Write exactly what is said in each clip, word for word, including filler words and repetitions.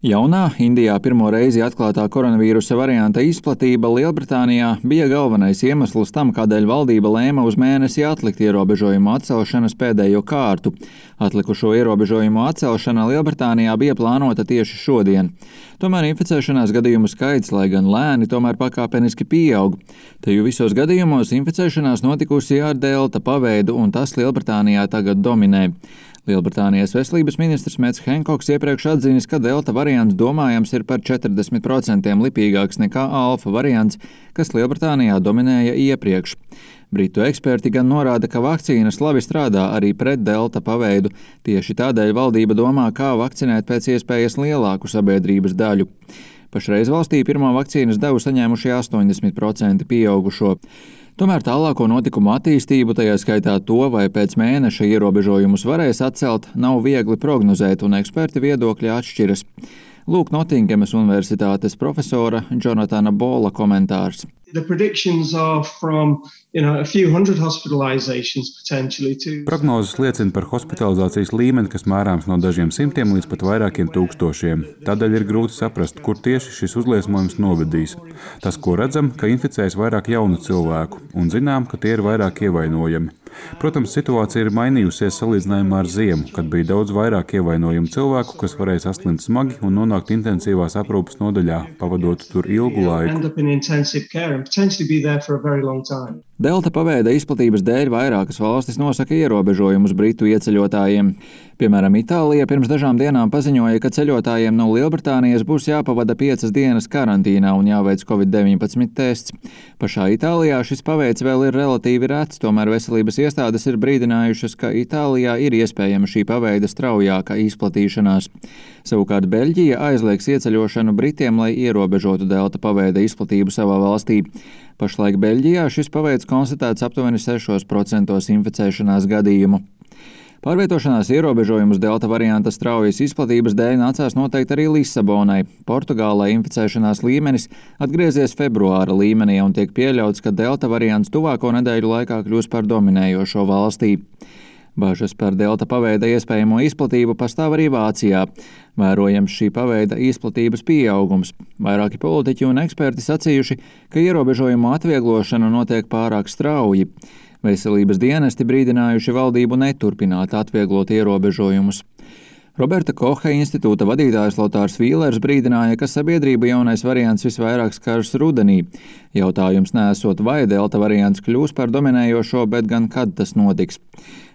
Jaunā, Indijā pirmo reizi atklātā koronavīrusa varianta izplatība Lielbritānijā bija galvenais iemesls tam, kādēļ valdība lēma uz mēnesi atlikt ierobežojumu atcelšanas pēdējo kārtu. Atlikušo ierobežojumu atcelšana Lielbritānijā bija plānota tieši šodien. Tomēr inficēšanās gadījumu skaits, lai gan lēni, tomēr pakāpeniski pieaug. Teju visos gadījumos inficēšanās notikusi ar delta paveidu, un tas Lielbritānijā tagad dominē. Lielbritānijas veselības ministrs Mets Henkoks iepriekš atzinis, ka delta variants domājams ir par četrdesmit procentiem lipīgāks nekā alfa variants, kas Lielbritānijā dominēja iepriekš. Britu eksperti gan norāda, ka vakcīnas labi strādā arī pret delta paveidu, tieši tādēļ valdība domā, kā vakcinēt pēc iespējas lielāku sabiedrības daļu. Pašreiz valstī pirmo vakcīnas devu saņēmuši astoņdesmit procenti pieaugušo. Tomēr tālāko notikumu attīstību, tajā skaitā to, vai pēc mēneša ierobežojumus varēs atcelt, nav viegli prognozēt, un eksperti viedokļi atšķiras. Lūk Notingemas universitātes profesora Jonatana Bola komentārs. The predictions are from, you know, a few hundred hospitalizations potentially to... Prognozes liecina par hospitalizācijas līmeni, kas mērāms no dažiem simtiem līdz pat vairākiem tūkstošiem. Tādēļ ir grūti saprast, kur tieši šis uzliesmojums novedīs. Tas, ko redzam, ka inficējas vairāk jaunu cilvēku, un zinām, ka tie ir vairāk ievainojami. Protams, situācija ir mainījusies salīdzinājumā ar ziemu, kad bija daudz vairāk ievainojumu cilvēku, kas varēja saslimt smagi un nonākt intensīvās aprūpes nodaļā, pavadot tur ilgu laiku. Delta paveida izplatības dēļ vairākas valstis nosaka ierobežojumus britu ieceļotājiem. Piemēram, Itālija pirms dažām dienām paziņoja, ka ceļotājiem no Lielbritānijas būs jāpavada piecas dienas karantīnā un jāveic covid deviņpadsmit tests. Pašā Itālijā šis paveids vēl ir relatīvi rets, tomēr veselības iestādes ir brīdinājušas, ka Itālijā ir iespējama šī paveida straujāka izplatīšanās. Savukārt Beļģija aizliegs ieceļošanu Britiem, lai ierobežotu delta paveida izplatību savā valstī. Pašlaik Beļģijā šis paveids konstatēts aptuveni sešos procentos inficēšanās gadījumu. Pārvietošanās ierobežojumus delta varianta straujas izplatības dēļ nācās noteikt arī Lisabonai. Portugālē inficēšanās līmenis atgriezies februāra līmenī un tiek pieļauts, ka delta variants tuvāko nedēļu laikā kļūs par dominējošo valstī. Bažas par delta paveida iespējamo izplatību pastāv arī Vācijā. Vērojams šī paveida izplatības pieaugums. Vairāki politiķi un eksperti sacījuši, ka ierobežojumu atvieglošana notiek pārāk strauji. Veselības dienesti brīdinājuši valdību neturpināt atvieglot ierobežojumus. Roberta Koha institūta vadītājs Lotārs Vīlers brīdināja, ka sabiedrību jaunais variants visvairāk skars rudenī. Jautājums neesot, vai delta variants kļūs par dominējošo, bet gan kad tas notiks.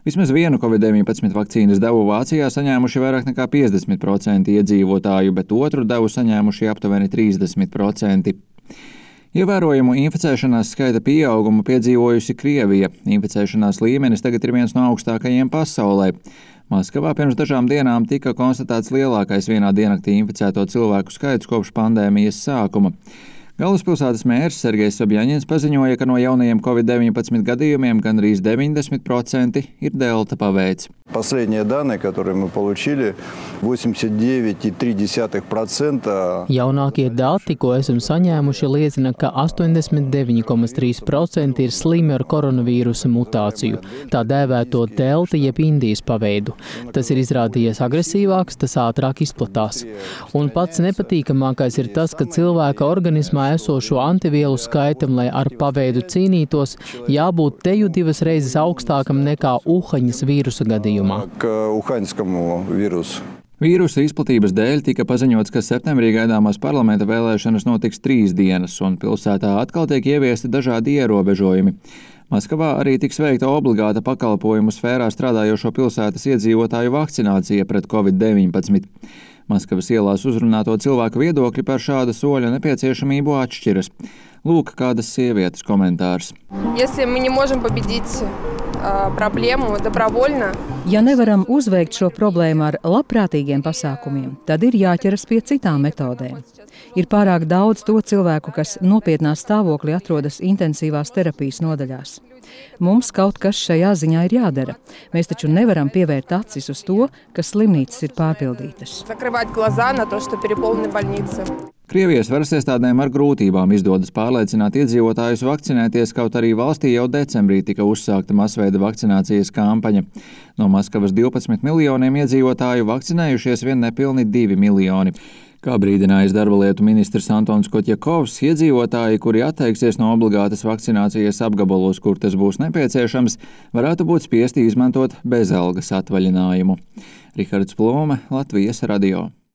Vismaz vienu covid deviņpadsmit vakcīnas devu Vācijā saņēmuši vairāk nekā piecdesmit procenti iedzīvotāju, bet otru devu saņēmuši aptuveni trīsdesmit procenti. Ievērojumu inficēšanās skaita pieaugumu piedzīvojusi Krievija. Inficēšanās līmenis tagad ir viens no augstākajiem pasaulē. Maskavā pirms dažām dienām tika konstatēts lielākais vienā diennaktī inficēto cilvēku skaits kopš pandēmijas sākuma. Galvaspilsētas mērs Sergejs Sobjaņins paziņoja, ka no jaunajiem covid deviņpadsmit gadījumiem gandrīz deviņdesmit procenti ir delta paveids. Последние данные, которые мы получили, восемьдесят девять целых три десятых процента. Jaunākie dati, ko esam saņēmuši, liecina, ka astoņdesmit deviņi komats trīs procenti ir slimi ar koronavīrusa mutāciju, tā dēvēto delta jeb Indijas paveidu. Tas ir izrādījies agresīvāks, tas ātrāk izplatās. Un pats nepatīkamākais ir tas, ka cilvēka organismā esošo antivielu skaitam, lai ar paveidu cīnītos, jābūt teju divas reizes augstākam nekā Uhaņas vīrusa gadījumā. Vīrusa izplatības dēļ tika paziņots, ka septembrī gaidāmās parlamenta vēlēšanas notiks trīs dienas, un pilsētā atkal tiek ieviesti dažādi ierobežojumi. Maskavā arī tiks veikta obligāta pakalpojumu sfērā strādājošo pilsētas iedzīvotāju vakcinācija pret covid deviņpadsmit. Maskavas ielās uzrunāto cilvēku viedokļi par šāda soļa nepieciešamību atšķiras. Lūk, kādas sievietes komentārs. Ja nevaram uzveikt šo problēmu ar labprātīgiem pasākumiem, tad ir jāķeras pie citām metodēm. Ir pārāk daudz to cilvēku, kas nopietnā stāvoklī atrodas intensīvās terapijas nodaļās. Mums kaut kas šajā ziņā ir jādara. Mēs taču nevaram pievērt acis uz to, ka slimnīcas ir pārpildītas. Krievijas varas iestādēm ar grūtībām izdodas pārliecināt iedzīvotājus vakcinēties, kaut arī valstī jau decembrī tika uzsākta masveida vakcinācijas kampaņa. No Maskavas divpadsmit miljoniem iedzīvotāju vakcinējušies vien nepilni divi miljoni. Kā brīdinājis darba lietu ministrs Antons Kotjakovs, iedzīvotāji, kuri atteiksies no obligātas vakcinācijas apgabalos, kur tas būs nepieciešams, varētu būt spiesti izmantot bezalgas atvaļinājumu. Rihards Plome, Latvijas radio.